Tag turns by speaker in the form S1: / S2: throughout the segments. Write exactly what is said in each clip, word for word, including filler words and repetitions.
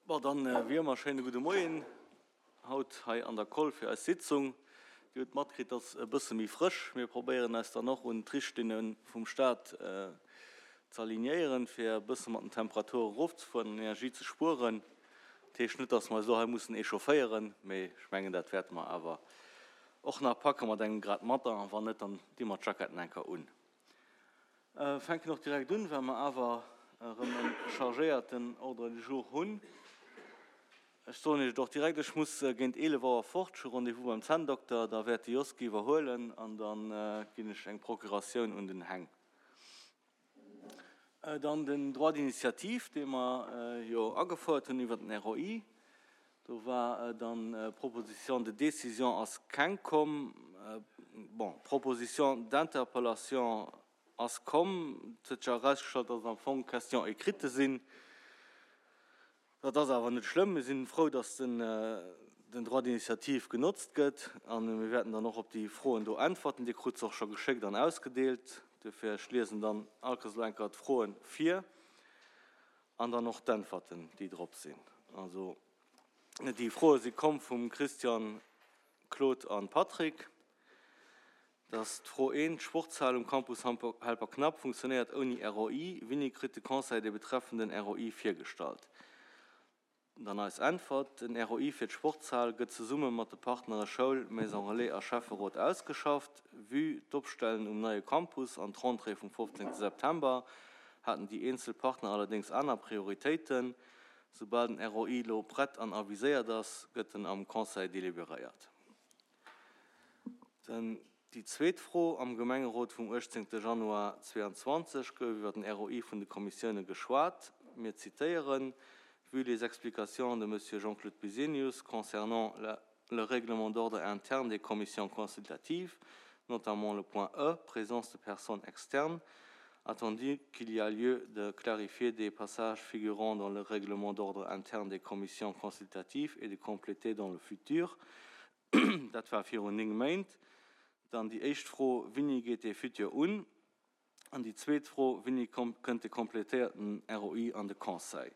S1: Bon, dann wéi ëmmer schéine gudde Moien haut hei an der Koll fir eis Sitzung. Dir hutt matkritt, dass e bësse méi frësch. Mir probéieren eis dann och un d'Richtlinne vum Staat ze alignéieren, fir e bësse mat den Temperature erofzefueren an Energie ze spueren. Dat heescht net, dass mer eis elo hei mussen echaufféieren, mee ech mengen, dat wäerte mer awer och nach packe mat engem Grad matter. An wann net, dann di mer d'Jacketten eng Kéier un. Fänken och direkt un, well mer awer erëm e chargéierten Ordre du jour hunn. Ech soen Iech et och direkt, ech muss géint eelef Auer fort, ech hu Rendez-vous beim Zänndokter, da wäert de Josky iwwerhuelen an da ginn ech eng Procuratioun un den Heng. Dann den Droit d'initiative, dee mer jo agefouert hunn iwwer den R O I. Do war dann Proposition de décision ass keng komm, bon, Proposition d'interpellation ass komm. Et huet sech erausgestallt, dass et am Fong Questions écrites sinn. Dat ass awer net schlëmm. Mir sinn frou, dass den, den Droit d'initiative genotzt gëtt an mir wäerten dann och op déi Froen do äntwerten. Dir krut se och scho geschéckt an ausgedeelt. Dofir ech liesen dann all Kéiers elo eng Kéier d'Froen vir an dann och d'Äntwerten, déi drop sinn. Also déi Froe si komm vum Christian, Claude an Patrick. Dat ass d'Fro eent: D'Sportshal um Campus Helperknapp funktionéiert ouni R O I. Wéini kritt de Conseil de betreffenden R O I virgestallt? Dann eis Äntwert: Den R O I fir d'Sportshal gëtt zesumme mat de Partnere Schoul, Maison Relais a Schäfferot ausgeschafft. Vue d'Opstellen um neie Campus an d'Rentrée vum fofzéngte September haten déi eenzel Partner allerdéngs aner Prioritéiten. Soubal den R O I lo prett an aviséiert ass, gëtt en am Conseil deliberéiert. Den déi zweet Fro: Am Gemengerot vum uechtzéngte Januar zwee an zwanzeg gouf iwwer den R O I vun de Kommissioune geschwat. Mir zitéieren: Vu les explications de Monsieur Jean-Claude Bisenius concernant la, le règlement d'ordre interne des commissions consultatives, notamment le point E, présence de personnes externes, attendu qu'il y a lieu de clarifier des passages figurant dans le règlement d'ordre interne des commissions consultatives et de compléter dans le futur. Dat war virun néng Méint. Dann déi éischt Fro: Wéini geet de Futur un? An déi zweet Fro: Wéini kënnt de kompletéierten R O I an de Conseil?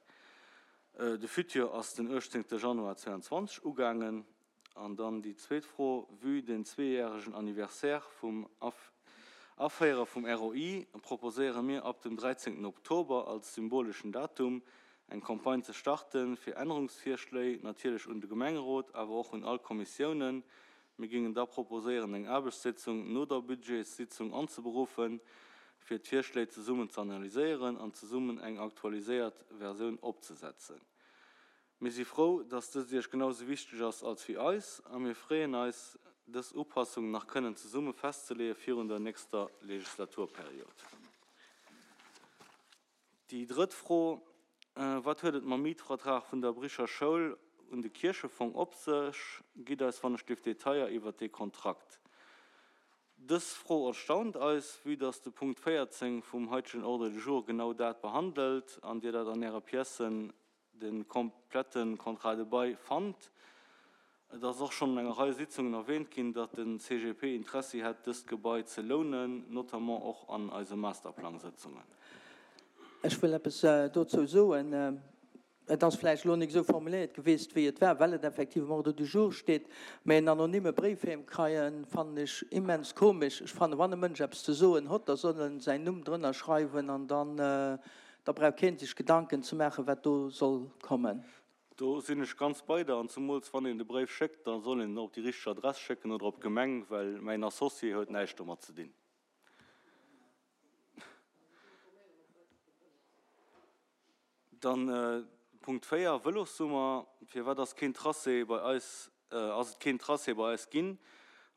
S1: De Futur ass den uechtzéngte Januar zwee an zwanzeg ugaangen. An dann déi zweet Fro: Vue den zweejäregen Anniversaire vum Aféiere vum R O I proposéiere mir ab dem dräizéngten Oktober als symboleschen Datum eng Campagne ze starten fir Ännerungsvirschléi, natierlech un de Gemengerot, awer och un all Kommissiounen. Mir géingen da proposéieren, eng Aarbechtssitzung no der Budgetssitzung anzeberuffen, fir d'Virschléi zesummen ze analyséieren an zesummen eng aktualiséiert Versioun opzesetzen. Mir si frou, dass dëst Iech genau sou wichteg ass als wéi eis a mir freeën eis, dës Upassung nach kënnen zesumme festzeleeë virun der nächster Legislaturperiod. Déi drëtt Fro: Wat huet et mam Mietvertrag vun der Bricher Schoul un de Kierchefong op sech? Gitt eis wannechgelift Detailler iwwer dee Kontrakt. Dës Fro erstaunt eis, vue dass de Punkt véierzéng vum haitegen Ordre du jour genau dat behandelt an Dir dat an Äre Piècen de komplette Contrat de bail fannt. Et ass och schonn an enger Rei Sitzungen erwähnt ginn, datt den C G P Interessi hätt, dëst Gebai ze lounen, notamment och an eise Masterplangsëtzungen.
S2: Ech wëll eppes dozou soen. Et ass vläicht elo net esou formuléiert gewiescht, wéi et war, well et effektiv am Ordre du jour steet, mä en anonyme Bréif heem kréien, fannen ech immens komesch. Ech fannen, wann e Mënsch eppes ze soen hott, da soll en säin Numm drënner schreiwen an dann da brauch keen sech Gedanken ze maachen, wat do soll kommen.
S1: Do sinn ech ganz bei der, an zemools wann een de Bréif schéckt, da soll een en op déi richteg Adress schécken oder op d'Gemeng, well mäin Associé huet näischt domat ze dinn. Dann Punkt véier, Vëlossummer. Firwat ass keen Tracé bei eis, ass et keen Tracé bei eis ginn?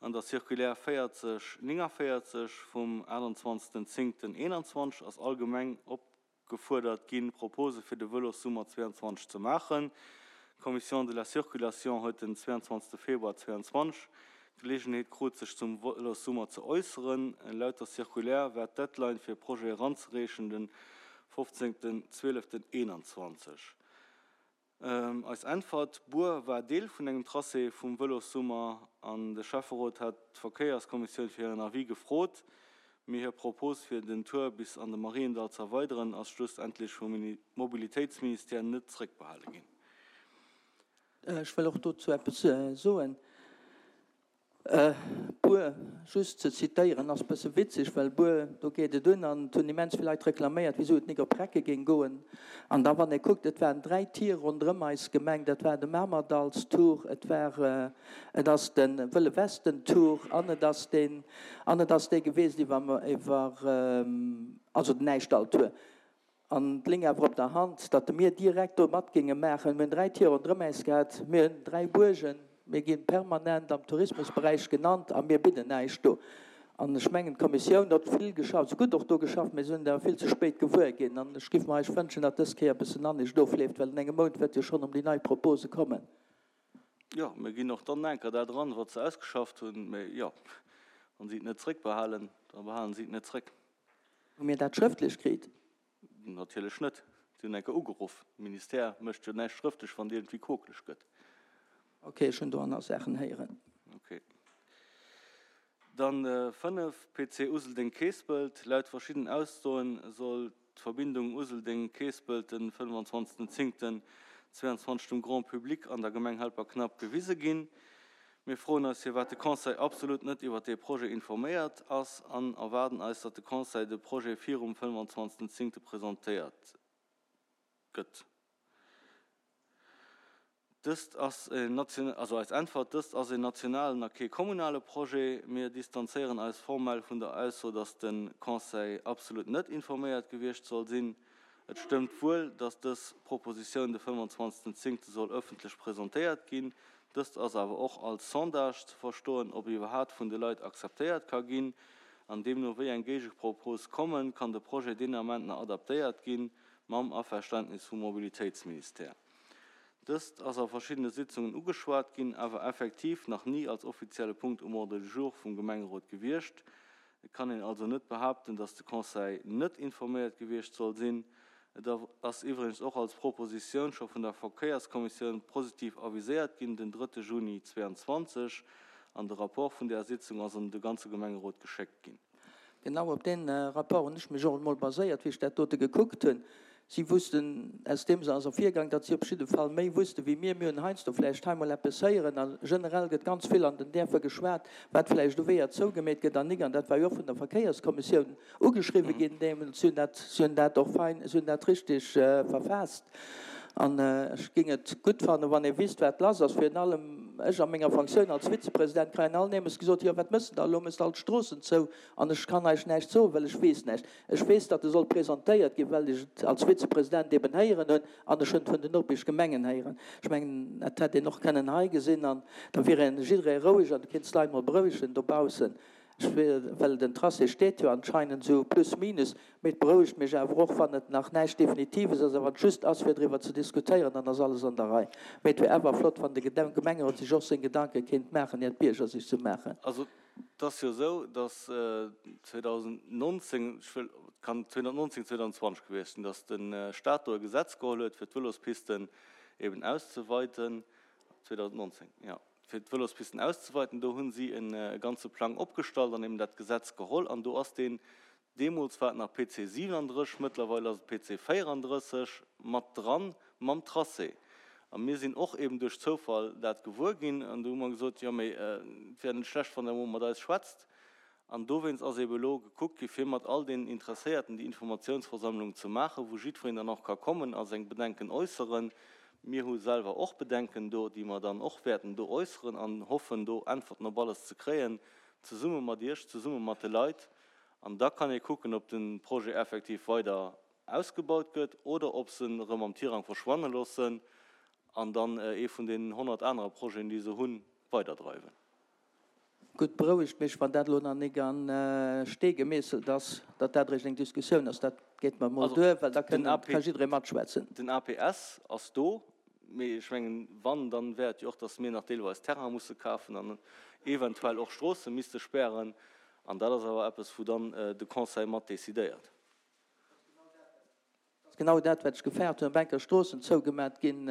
S1: An der Circulaire véierzeg néngavéierzeg vum aachtenzwanzegsten zéngten eenanzwanzeg ass allgemeng opgefuerdert ginn, Propose fir de Vëlossummer zwee an zwanzeg ze maachen. D'Commission de la Circulation huet den zwee an zwanzegste Februar zwee an zwanzeg Geleegenheet krut, sech zum Vëlossummer ze äusseren. Laut der Circulaire war d'Deadline fir Projet eranzereechen den fofzéngten zwieleften eenanzwanzeg. Eis Äntwert: Buer war Deel vun engem Tracé vum Vëlossummer an de Schäfferot hat d'Verkéierskommissioun fir hiren Avis gefrot. Mee hir Propos fir den Tour bis an de Mariendall ze erweideren ass schlussendlech vum Mobilitéitsministère net zeréckbehale ginn.
S2: Ech wëll och dozou eppes soen. Bur, just ze zitéieren, ass bësse witzeg, well Bur, do geet et un an et hunn immens vill Leit reklaméiert, wisou et nik op Recke géing goen. An da wann ee kuckt, et waren dräi Tier ronderëm eis Gemeng, dat war de Mamerdallstour, et war, et ass de Wëlle Westen-Tour an et ass deen, an et ass dee gewiescht iwwer, iwwer, also den Äischdall-Tour. An et léing awer op der Hand, datt mir direkt do mat géinge maachen. Mir hunn dräi Tier ronderëm äis gehat, mir hunn dräi Buergen, mir gi permanent am Tourismusberäich genannt a mir bidden näischt do. An ech mengen, d'Kommissioun huet vill geschafft, se huet och do geschafft, mee se hunn et awer vill ze spéit gewuer ginn. An ech géif mer eis wënschen, datt dës Kéier e bëssen anescht ofleeft, well an engem Mount wäert jo schonn ëm déi nei Propose kommen.
S1: Jo, mir ginn och dann enker dat eran, wat se ausgeschafft hunn. Mee jo, wa si et net zréckbehalen, da behalen si et net zréck.
S2: Hu mir dat schrëftlech kritt?
S1: Natierlech net. Si hunn enker ugeruff. De Ministère mécht jo näischt schrëftlech, wann et iergendwéi kokeleg gëtt.
S2: Ok, ech hunn do aner Saachen héieren.
S1: Ok. Dann fënnef, P C Useldeng-Keespelt. Laut verschiddenen Aussoen soll d'Verbindung Useldeng-Keespelt den fënnefenzwanzegsten zéngten zwéianzwanzeg dem Grand public an der Gemeng Helperknapp gewise ginn. Mir froen eis, firwat de Conseil absolut net iwwer dee Projet informéiert ass an erwaarden eis, datt de Conseil de Projet virum fënnefenzwanzegsten zéngte presentéiert gëtt. Dëst ass en also eis Äntwert, dëst ass en nationalen a kee kommunale Projet. Mir distanzéieren eis formell vun der Ausso, datt de Conseil absolut net informéiert gewiescht soll sinn. Et stëmmt wuel, datt dës Propositioun de fënnefenzwanzegsten zéngte soll ëffentlech presentéiert ginn. Dëst ass awer och als Sondage ze verstoen, ob iwwerhaapt vun de Leit akzeptéiert ka ginn. An deemno wéi eng Géigepropose kommen, kann de Projet deen Ament nach adaptéiert ginn, mam Averständnis vum Mobilitéitsministère. Dëst ass a verschiddene Sitzungen ugeschwat ginn, awer effektiv nach ni als offizielle Punkt um Ordre du jour vum Gemengerot gewiescht. Et kann een also net behaapten, datt de Conseil net informéiert gewiescht soll sinn. Et ass iwwregens och als Propositioun scho vun der Verkéierskommissioun positiv aviséiert ginn, den drëtte Juni zwéianzwanzeg, an de Rapport vun där Sitzung ass un de ganze Gemengerot geschéckt ginn.
S2: Genau op dee Rapport hunn ech mech och emol baséiert, wéi ech dat dote gekuckt hunn. Si wussten, aus deem ass ervirgaang, datt si op jidde Fall méi wusste wéi mir. Mir hunn heiansdo vläicht hei mol eppes héieren a generell gëtt ganz vill an den Dierfer geschwat, wat vläicht u Weeër zougemeet gëtt an nik. An dat war jo och vun der Verkéierskommissioun ugeschriwwe ginn deemools. Si hunn dat, si hunn dat och fein, si hunn dat richtig verfaasst. An ech géing et gutt fannen, wann ee wisst, wat lass ass. Virun allem ech a menger Fonctioun als Vizepresident kréien alt nemes gesot, Jo, wat mëss de da elo? Mëss de all d'Stroossen zou? An ech kann eis näischt soen, well ech weess näischt. Ech weess, datt e soll presentéiert ginn, well ech et als Vizepresident eben héieren hunn an ech hunn et vun den Nopeschgemengen héieren. Ech mengen, dat hätt een och kënnen hei gesinn an da wier een jidderee roueg an du kéints d'Leit mol berouegen dobaussen. Ech well den Tracé steet jo anscheinend esou plus minus, mee et berouegt mech awer och, wann et nach näischt Definitives ass a wann et just ass fir driwwer ze diskutéieren, dann ass alles an der Rei. Mee et wier awer flott, wann de Gemengerot sech och seng Gedanke kéint maachen, ier d'Bierger sech se maachen.
S1: Also et ass jo esou, datt zweedausendnonzéng, ech wëll, et kann zweedausendnonzéng, zweedausendzwanzeg gewiescht sinn, datt de Staat do e Gesetz geholl huet, fir d'Vëlospisten eben auszeweiten, zweedausendnonzéng, jo, fir d'Vëlospisten auszeweiten. Do hu si e ganze Plang opgestallt an eben dat Gesetz geholl an do ass deen, deemools war et nach P C siwenandrësseg, mëttlerweil ass et P C véierandrësseg, mat dran mam Tracé. A mir sinn och eben duerch Zoufall dat gewuer ginn an do hu mer gesot, jo mee et wär net schlecht, wann Der emol mat eis schwätzt. An dowéinst ass eben elo gekuckt gi fir mat all deenen Interesséierten déi Informatiounsversammlung ze maachen, wou jiddwereen dann och ka kommen a seng Bedenken äusseren. Mir hu selwer och Bedenken do, déi mer dann och wäerten do äusseren an hoffen do Äntwerten op alles ze kréien, zesumme mat Iech, zesumme mat de Leit. An da kann ee kucken, ob de Projet effektiv weider ausgebaut gëtt oder ob se en erëm am Tirang verschwanne loossen an dann ee vun deenen honnert anere Projeten, déi se hunn, weiderdreiwen.
S2: Gutt, berouegt mech, wann dat elo nach nik a Stee gemeesselt ass, datt dat eréischt eng Diskussioun ass. Dat geet mer emol duer, well da kënnen, ka jidderee matschwätzen.
S1: Den A P S ass do, mee ech mengen, wann, dann wär et jo och, datt mir nach deelweis Terrain musse kafen an eventuell och Stroosse misste spären. An dat ass awer eppes, wou dann de Conseil mat decidéiert.
S2: Dat ass genau dat, wat ech gefaart hunn, ob enker Stroossen zougemat ginn,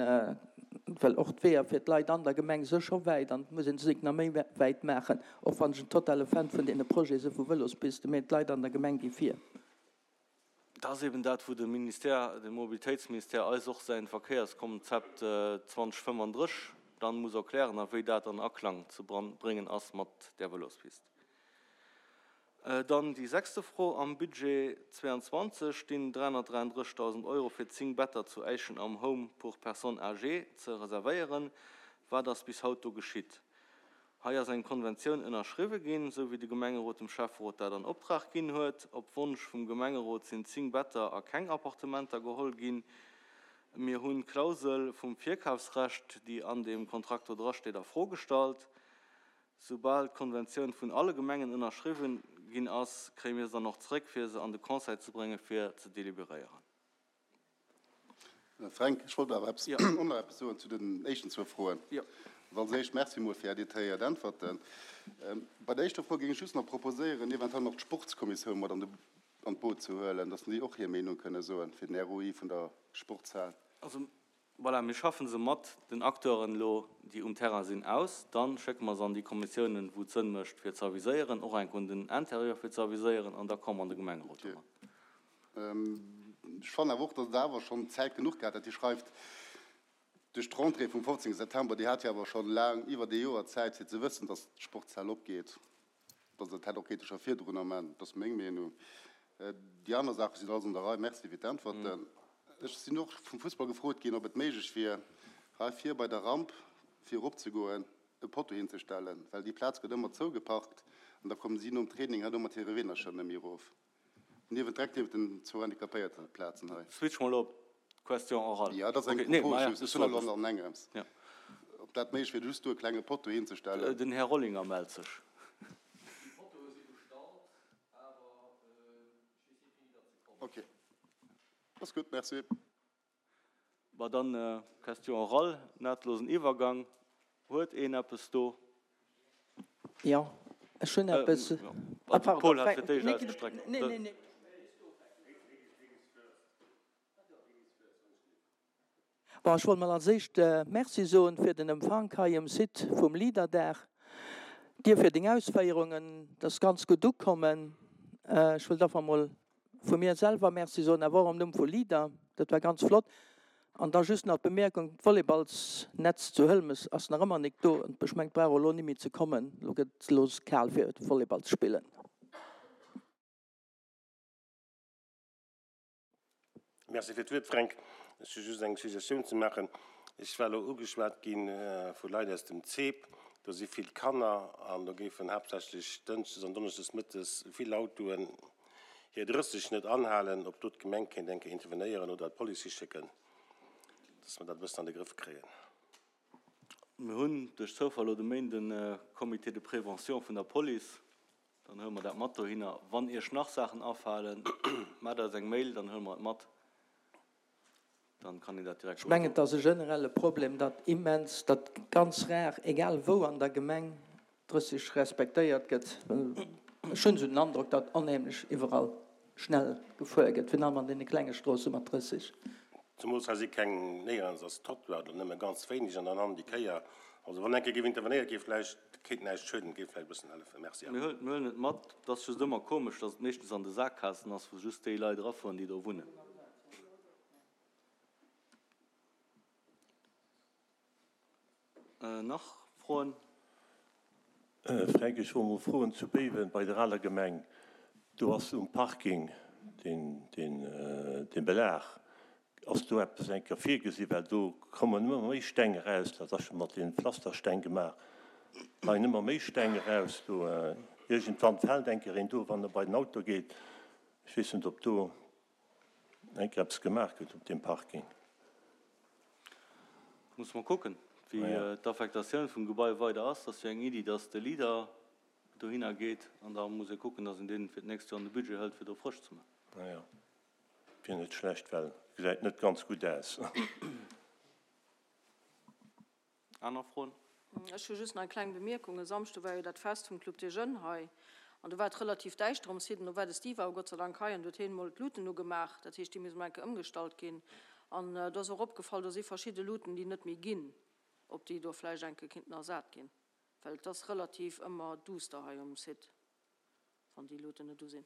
S2: well och d'Weeër fir d'Leit an der Gemeng si scho wäit an et muss ee se nach méi wäit maachen, och wann ech en totale Fan vun deene Projete si vu Vëlospisten, mee d'Leit an der Gemeng gi vir.
S1: Dat ass eben dat, wou de Ministère, de Mobilitéitsministère eis och säin Verkéierskonzept zweedausendfënnefandrësseg dann muss erklären a wéi dat an Aklang ze bréngen ass mat där Vëlospist. Dann déi sechste Fro, Am Budget zweiandzwanzeg stinn dräihunnertdräianddrëssigtausend Euro fir zéng Better zu Äischen am Home pour personnes âgées ze reservéieren. Wat ass bis haut do geschitt? Hei ass eng Konventioun ënnerschriwwe ginn, esou wéi de Gemengerot dem Schäfferot dat an Optrag ginn huet. Op Wonsch vum Gemengerot sinn zéng Better a keng Appartementer geholl ginn. Mir hunn d'Klausel vum Virkafsrecht, déi an deem Kontrakt do drasteet, a Fro gestallt. Soubal d'Konventioun vun alle Gemengen ënnerschriwwen ginn ass, kréie mir se dann och zréck, fir se an de Conseil ze bréngen, fir ze deliberéieren.
S3: Fränk, ech wollt awer eppes, och nach eppes soen zu den éischten zwou Froen. Also als éischt Merci emol fir Är detailléiert Äntwerten. Bei der éischter Fro géing ech just nach proposéieren, eventuell nach d'Sportskommissioun mat an de, an d'Boot ze huelen, dass déi och hir Meenung kënne soen fir den R O I vun der Sportshal.
S1: Also voilà, mir schaffen se mat den Acteuren elo, déi um Terrain sinn, aus. Dann schécke mer se an déi Kommissiounen, wou et Sënn mécht, fir ze aviséieren, och eng un den Intérieur, fir ze aviséieren, an da komme mer an de Gemengerot domat.
S3: Ech fannen awer och, datt et awer schonn Zäit genuch gehat hätt. Dir schreift, duerch d'Rentrée vum fofzéngte September, Dir hat jo awer schonn laang, iwwert ee Joer Zäit, fir ze wëssen, datt d'Sportshal opgeet. Datt dat hätt och kéinte scho virdrunner maachen, dat ass meng Meenung. Déi aner Saache sinn alles an der Rei. Merci fir d'Äntwerten. Ech sinn och vum Fussball gefrot ginn, ob et méiglech wier, hei vir bei der Ramp, fir eropzegoen, e Potto hinzestellen, well déi Plaz gëtt ëmmer zougeparkt an da kommen si nom Training hei do mat hire Weenercher net méi erof. Niewent, direkt niewent den zwou Handicapéierteplazen hei.
S1: Switch mol op d'Question orale.
S3: Jo, dat ass eng Propos just. Ech hunn elo an engems. Ob dat méiglech wier, just do e klenge Potto hinzestellen.
S1: Den Här Rollinger mellt sech. Déi Pottoe si bestallt, awer ech weess net, wéini datt se kommen.
S3: Okay. Ass gutt, merci.
S1: Bon, dann Question orale, nahtlosen Iwwergang. Huet een eppes do?
S2: Jo, ech hunn eppes.
S1: Ah, de Paul hat fir d'éischt ausgestreckt.
S2: Nee, nee, nee. Bon, ech wollt mol als éischt Merci soen fir den Empfank hei um Site vum Leaderdag. Dir fir deng Ausféierungen, dat ass ganz gutt ukommen. Ech wëllt einfach mol vu mir selwer Merci soen, awer och am Numm vu Leader. Dat war ganz flott. An da just nach d'Bemierkung, D'Volleyballsnetz zu Hëlmes ass nach ëmmer nik do. Ech mengen, et brauch och elo ni méi ze kommen. Elo gëtt et elo kal fir Volleyball ze spillen.
S4: Merci fir d'Wuert, Fränk. Ech hu just eng Suggestioun ze maachen. Ech war elo ugeschwat gi vu Leit aus dem C E P. Do si vill Kanner an do géifen haaptsächlech dënschdes an donneschdes mëttes vill Autoen hir drësseg net anhalen, ob do d'Gemeng kéint eng Kéier intervenéieren oder d'Police hischécken, dass mer dat e bëssen an de Grëff kréien.
S1: Mir hunn duerch Zoufall elo de Méinden e Comité de prévention vun der Police. Dann huele mer dat mat dohinner. Wann Iech nach Saachen afalen, maacht eis eng Mail, dann huele mer et mat. Dann kann een dat direkt
S2: Ech mengen, et ass e generelle Problem, datt immens, datt ganz rar, egal wou an der Gemeng, drësseg respektéiert gëtt. Ech hunn esou den Androck, datt onheemlech iwwerall schnell gefuer gëtt, virun allem an deene klenge Stroosse mat drësseg.
S4: Zemools hei si keng, néierens ass Trottoir oder nëmme ganz wéineg an dann han déi Kéier. Also wann eng Kéier géif intervenéiert gi vläicht, kéint näischt schueden, géif vläicht e bëssen hëllefen. Merci.
S1: Mir huelen et mat. Et ass just ëmmer komesch, datt et meeschtens an de Saakgaassen ass, wou just déi Leit erafueren, déi do wunnen. Nach Froen?
S5: Fränk, ech wollt mol froen, zu Béiwen bei der aler Gemeng, do ass um Parking dee Belag, ass do eppes eng Kéier virgesi, well do kommen ëmmer méi Steng eraus, dat ass scho mat deene Pflastersteng gemaach, leien ëmmer méi Steng eraus do, iergendwann fält eng Kéier een do, wann e bei den Auto geet. Ech weess net, ob do eng Kéier eppes gemaach gëtt op deem Parking.
S1: Musse mer kucken, wéi d'Affektatioun vum Gebai weider ass. Dat ass jo eng Iddi, dass de Leader dohinner geet an da muss ee kucken, dass een deen fir d'nächst Joer an de Budget hëlt, fir do frësch ze maachen.
S5: Naja, wier net schlecht, well gesäit net ganz gutt aus.
S1: Aner Froen?
S6: Ech hu just nach eng kleng Bemierkung. E Samschde war jo dat Fest vum Club des Jeunes hei an do war et relativ däischter um Site an do war de Steve awer Gott sei Dank hei an do huet hien emol d'Luten ugemaach. Dat heescht, déi musse mol eng Kéier ëmgestallt ginn. An do ass och opgefall, do si verschidde Luten, déi net méi ginn, ob déi do vläicht eng Kéier kinnten ersat ginn, well et ass relativ ëmmer duster hei um Site, wann déi Luten net u sinn.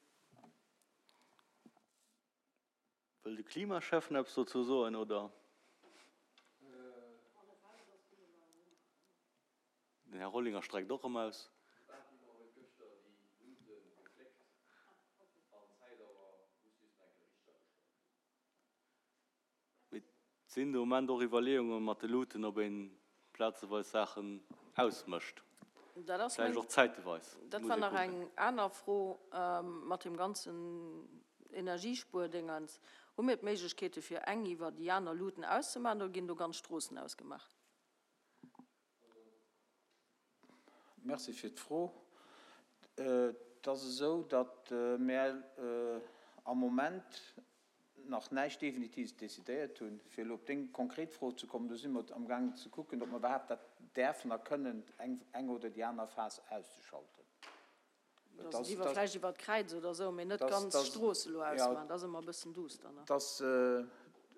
S1: Wëll de Klimaschäffen eppes dozou soen, oder? Den Här Rollinger streckt och erëm aus. Mee et sinn de Moment och Iwwerleeunge mat de Luuten, ob ee plazeweis Saachen ausmécht.
S6: Dat ass
S1: Vläicht
S6: meng,
S1: och zäiteweis.
S6: dat
S1: Muss
S6: war
S1: ee
S6: nach
S1: kucken.
S6: eng aner Fro mat deem ganzen Energiespuerdéngens. Hu mir d'Méiglechkeete fir eng iwwer déi aner Luuten auszemaachen oder ginn do ganz Stroossen ausgemaach?
S7: Merci fir d'Fro. Et ass esou, datt mär am Moment nach näischt Definitives decidéiert hunn. Fir elo op deng konkret Fro ze kommen, do si mer amgaangen ze kucken, ob mer iwwerhaapt dat däerfen a kënnen, eng oder déi aner Phas auszeschalten.
S6: Dass et iwwer, vläicht iwwer d'Kräiz oder esou, mee net ganz d'Strooss elo ausmaachen, dat ass ëmmer e bëssen duster, ne?
S7: Dass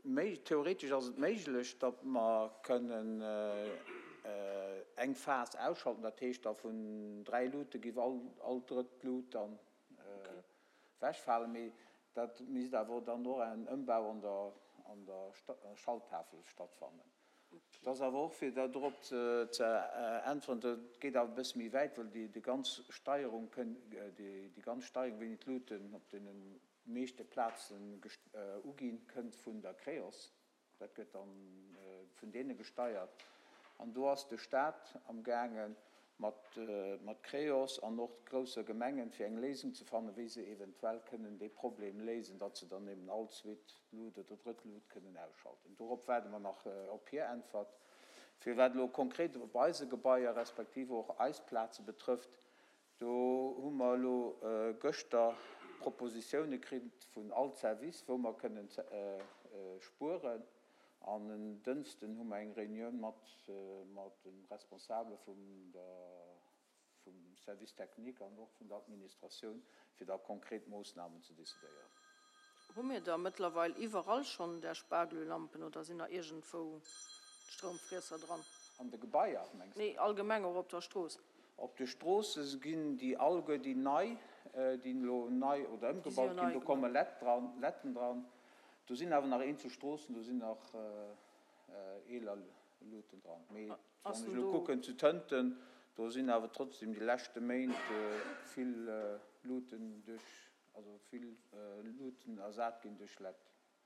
S7: méi, theoretesch ass et méiglech, datt mer kënnen eng Phas ausschalten, dat heescht da vun dräi Luute géif all, all drëtt Lut dann ewechfalen, mee dat misst awer dann och en Ëmbau an der, an der Schalttafel stattfannen. Et ass awer och, fir dorop ze äntweren, dat geet awer e bësse méi wäit, well déi, déi ganz Steierung kënn, déi, déi ganz Steierung, wéini d'Luuten op deene meeschte Plazen uginn, kënnt vun der Creos. Dat gëtt dann vun deene gesteiert. An do ass de Stat amgaange mat, mat Creos an och grousser Gemengen, fir eng Léisung ze fannen, wéi se eventuell kënnen dee Problem léisen, datt se dann eben all zweet Lut oder drëtt Lut kënnen ausschalten. Dorop waarde mer nach op hir Äntwert. Fir wat elo konkret op eise Gebaier respektiv och eis Plaze betrëfft, do hu mer elo gëschter Propositioune kritt vun all Service, wou mer kënnen spueren. An en Dënschden hu mer eng Reunioun mat mat de Responsabele vum der vum Service technique an och vun der Administratioun, fir da konkret Moossnamen ze decidéieren.
S6: Hu mir da mëttlerweil iwwerall schonn där Sparglölampen oder sinn nach iergendwou Stroumfriesser dran?
S7: An de Gebaier, mengs
S6: de? Nee, allgemeng och op der Strooss.
S7: Op de Stroosse ginn déi alleguer déi nei, déi elo nei oder ëmgebaut ginn, do komme Led dran, Ledden dran. Do sinn awer nach eenzel Stroossen, do sinn nach eeler Luuten dran. Mee wann ech elo kucken zu Tënten, do sinn awer trotzdem déi leschte Méint vill Luuten duerch, also vill Luuten ersat ginn duerch Led.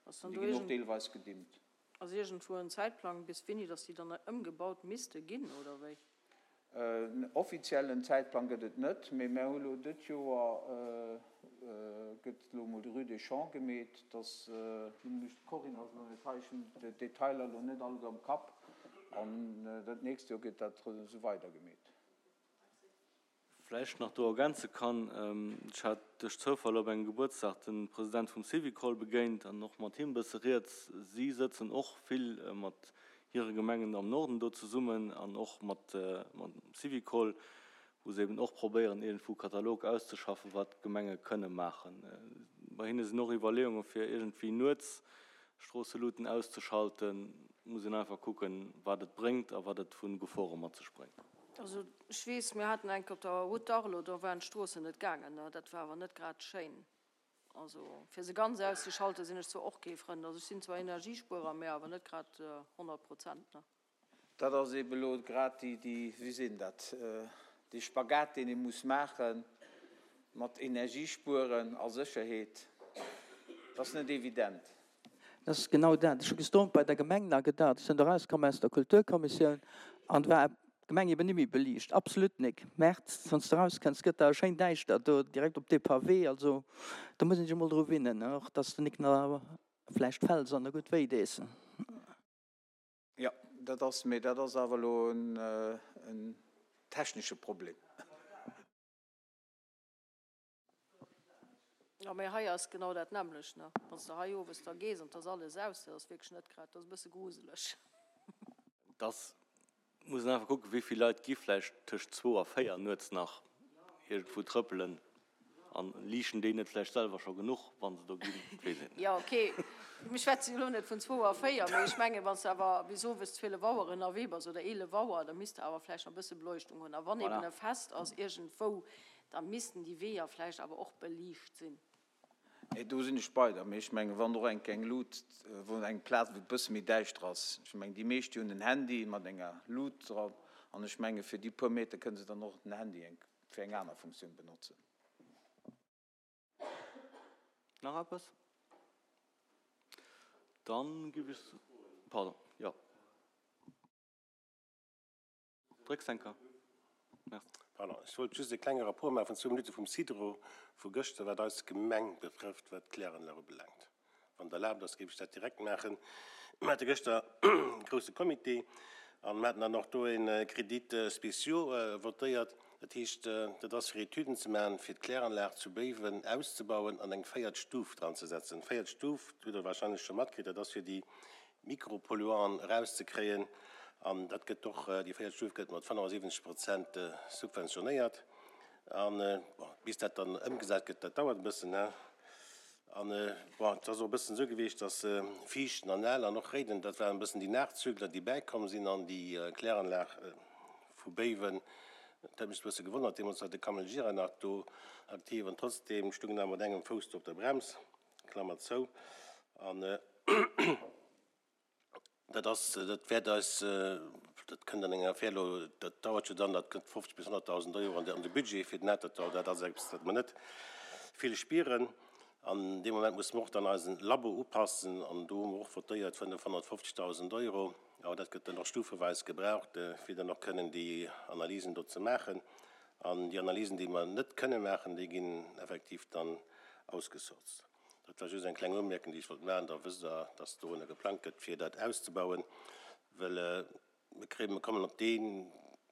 S7: An déi ginn och deelweis gedimmt.
S6: Ass iergendwou en Zäitplang, bis wéini dass déi dann ëmgebaut misste ginn, oder wéi?
S7: En offiziellen Zäitplang gëtt et net, mee mär hu lo dët Joer gëtt elo emol de Rue des Champs gemeet, dass, lo muss ech, d'Corinne ass elo net hei, ech hunn d'Detailer elo net alleguer am Kapp, an dat nächst Joer gëtt dat esou weider gemeet.
S1: Vläicht nach do ergänze kann, Ech hat duerch Zoufall op engem Gebuertsdag de President vum Syvicol begéint an och mat him e bësse rieds. Si sëtzen och vill mat hire Gemengen am Norden do zesummen an och mat dem Syvicol, wou se eben och probéieren, iergendwou e Katalog auszeschaffen, wat d'Gemenge kënne maachen. Bei hinne sinn och Iwwerleeunge fir iergendwéi nuets Stroosseluten auszeschalten. Muss een einfach kucken, wat et bréngt a wat et vu Gefore mat sech bréngt.
S6: Also ech weess, mir haten eng Kéier op der Route d'Arles, do waren d'Stroossen net gaangen, dat war awer net grad schéin. Also fir se ganz auszeschalten, sinn ech zwar och kee Frënd. Also ech sinn zwar Energiespuerer, mä awer net grad honnert Prozent, ne.
S7: Dat ass eeben elo grad déi, déi, wéi seet een dat, dee Spagat, deen ee muss maache mat Energiespueren a Sécherheet. Dat ass net evident.
S2: Dat ass genau dat. Ech hu gestern bei der Gemeng nach gedacht, ech sinn do erauskomm aus der Kulturkommissioun an war d'Gemeng eben net méi beliicht, absolut nik. März, wann s de erauskënns, gëtt da schéin däischter do direkt op dee Pavé. Also do muss een sech emol dru winnen, och dass de nik nach vläicht fäls an der gutt wéi dees.
S7: Jo, dat ass, mee dat ass awer elo en technesche Problem.
S6: Jo, mee hei ass genau dat nämmlecht, ne? Wann s de hei owes da gees an 't ass alles aus, dat ass wierklech net grad, dat ass e bësse gruseleg.
S1: Dass muss een einfach kucken, wéi vill Leit gi vläicht tëscht zwou a véier nuets nach iergendwou trëppelen an liichten déi net vläicht selwer scho genuch, wa se do ginn, dat weess een net.
S6: Jo, okay, mir schwätzen jo elo net vun zwou a véier, mee ech mengen, wann s de awer bis owes zwielef Auer ënnerwee bass oder eelef Auer, da misst de awer vläicht nach e bësse Beleuchtung hunn. A wann eben e Fest ass iergendwou, da missten déi Weeër vläicht awer och beliicht sinn.
S7: Nee, do sinn ech bei der. Mee ech mengen, wann och eng eng Lut, wou eng Plaz, wou et e bësse méi däischter ass, ech mengen, déi meescht, déi hunn en Handy mat enger Lut dran, An ech menge fir déi puer Meter kënne se dann och den Handy eng, fir eng aner Funktioun benotzen.
S1: Nach eppes? Dann géif ech, pardon, jo. Drécks eng Kéier. Merci.
S4: Pardon, ech wollt just e klenge Rapport maache vun zwou Minutte vum Sidero vu gëschter, wat eis Gemeng betrëfft, wat d'Kläranlag ubelaangt. Wann et erlaabt ass, géif ech dat direkt maachen. Mir hate gëschter e grouse Comité an mir haten dann och do e Crédit spéciaux votéiert. Dat heescht, dat ass fir Etüden ze maachen, fir d'Kläranlag zu Béiwen auszebauen an eng véiert Stuf dranzesetzen. Véiert Stuf, dat hutt Der wahrscheinlech scho matkritt, dat ass fir déi Mikropolluanten erauszekréien. An dat gëtt och, déi véiert Stuf gëtt mat fënnefasiwwenzeg Prozent subventionéiert. An, bon, bis dat dann ëmgesat gëtt, dat dauert e bëssen, hein. An, bon, et ass och e bëssen esou gewiescht, dass Viichten an Ell an och Réiden, dat waren e bëssen déi Nachzügler, déi bäikomm sinn an déi Kläranlag vu Béiwen. Dat huet mech e bësse gewonnert, deemools war de Kamel Gira nach do aktiv an trotzdeem stoung en awer mat engem Fouss do op der Brems, Klammer zou. An dat ass, dat wäert eis, dat kënnt an enger Affär elo, dat dauert jo dann, dat kënnt fofzeg bis honnertdausend Euro an de Budget fir den Atertdall. Dat ass eppes, wat mer net vill spieren. An dee Moment musse mer och dann eisen Labo upassen an do hu mer och votéiert fënnefhonnertfofzegdausend Euro. Awer dat gëtt dann och stufeweis gebraucht, fir dann och kënnen déi Analysen do ze maachen. An déi Analysen, déi mer net kënne maachen, déi ginn effektiv dann ausgesourced. Dat war just eng kleng Umierkung, déi ech wollt maachen. Da wësst Der, dass dorunner geplangt gëtt, fir dat auszebauen, well mir kréien, mir kommen op dee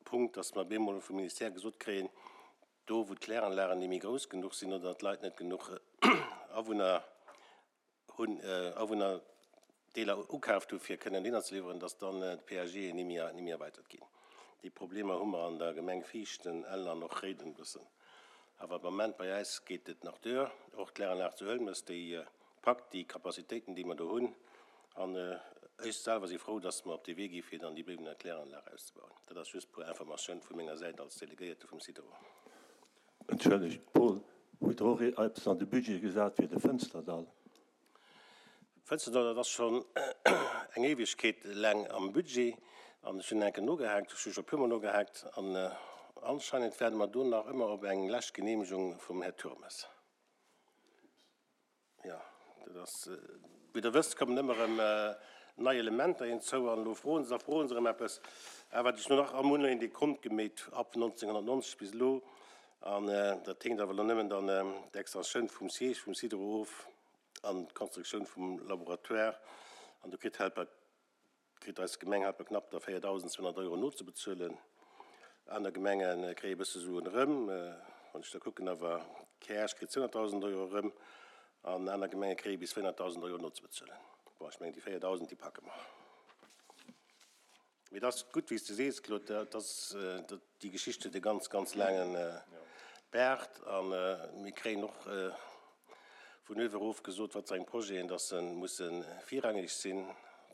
S4: Punkt, dass mer op eemol vum Ministère gesot kréien, do wou d'Kläranlagen net méi grouss genuch sinn oder d'Leit net genuch Awunner hunn, Awunnerdeeler ukaaft hu fir kënnen Liner ze liwweren, dass dann d'P A Gen ni méi, ni méi erweitert ginn. Déi Problemer hu mer an der Gemeng Viichten, Ell an och Réiden e bëssen. Awer am Moment bei eis geet et nach duer. Och d'Kläranlag zu Hëlmes, déi packt déi Capacitéiten, déi mer do hunn. An ech selwer si frou, dass mer op dee Wee gi fir dann déi Béiwener Kläranlag auszebauen. Dat ass just puer Informatioun vu menger Säit als Delegéierte vum Sidero.
S5: Entschëllegt, Paul, hutt Der och eppes an de Budget gesat fir de Fënsterdall?
S4: Fënsterdall, dat ass schonn eng Éiwegkeet laang am Budget. An ech hunn enke nogehaakt, ech hu scho puermol nogehaakt. An anscheinend waarde mer do nach ëmmer op eng lescht Geneemegung vum Här Turmes. Jo, dat ass, wéi Der wësst, kommen ëmmer erëm nei Elementer hinzou an elo froen se a froen se erëm eppes. Awer wat ech no nach am hunn een dee Kont gemeet ab nonzénghonnertnonzeg bis elo. An dat hänkt awer elo nëmmen dann d'Extensioun vum Siège vum Sidero of an d'Konstruktioun vum Laboratoire. An do kritt Helper, kritt eis Gemeng Helper knapp der véiertausendzweehonnert Euro nozebezuelen. Aner Gemenge kréie e bësse Suen erëm. Wann ech da kucken, awer Käerch kritt zweehonnertdausend Euro erëm an aner Gemenge kréie bis véierhonnertdausend Euro nozebezuelen. Bon, ech mengen, déi véierdausend, déi packe mer. Mee et ass gutt, wéi s de sees, Claude, dat ass, déi Geschicht huet e ganz, ganz laange Baart. A mir kréien och vun uewe erof gesot, wat fir eng Projeten, dass se musse virrangeg sinn,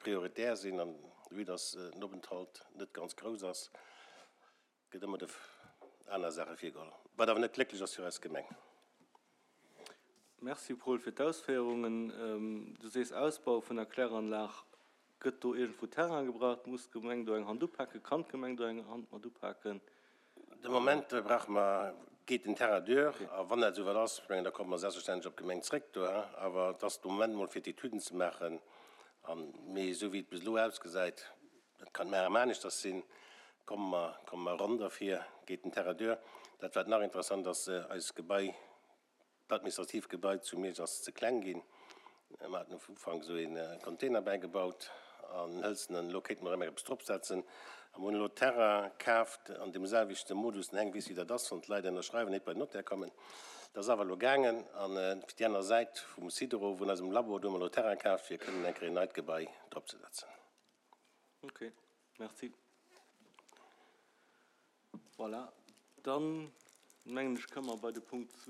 S4: prioritär sinn. An vue dass den Openthalt net ganz grouss ass, gëtt ëmmer de aner Saache virgeholl, wat awer net glécklech ass fir eis Gemeng.
S1: Merci, Paul, fir d'Ausféierungen. Du sees Ausbau vun der Kläranlag. Gëtt do iergendwou Terrain gebraucht? Muss d'Gemeng do eng Hand upaken? Kann d'Gemeng do eng Hand mat upaken?
S4: De Moment brauche mer, geet den Terrain duer. A wann dat esouwäit ass, ech mengen, da komme mer selbstverständlech op d'Gemeng zréck do, hein. Awer et ass de Moment emol fir d'Etüden ze maachen. An, mee esou wéi et bis elo ausgesäit, dat kann mar aneschters sinn, komme mer, komme mer ronn derfir, geet den Terrain duer. Dat wat nach interessant ass, eist Gebai, d'administratiivt Gebai zu Miersch ass ze kleng ginn. Mer haten um Ufank esou ee Container bäigebaut an hëlzenen, elo kéinte mer erëm eppes dropsetzen. A mer hunn elo Terrain kaaft an deem selwechte Modus, den Heng weess wéi dat ass, wann d'Leit ënnerschreiwen, net bei den Notaire kommen. Dat ass awer elo gaangen. An fir déi aner Säit vum Sidero, vun eisem Labo, do hu mer elo Terrain kaaft, fir kënnen eng Kéier en neit Gebai dropzesetzen.
S1: Ok, merci. Voilà, dann mengen ech, komme mer bei de Punkt zwee.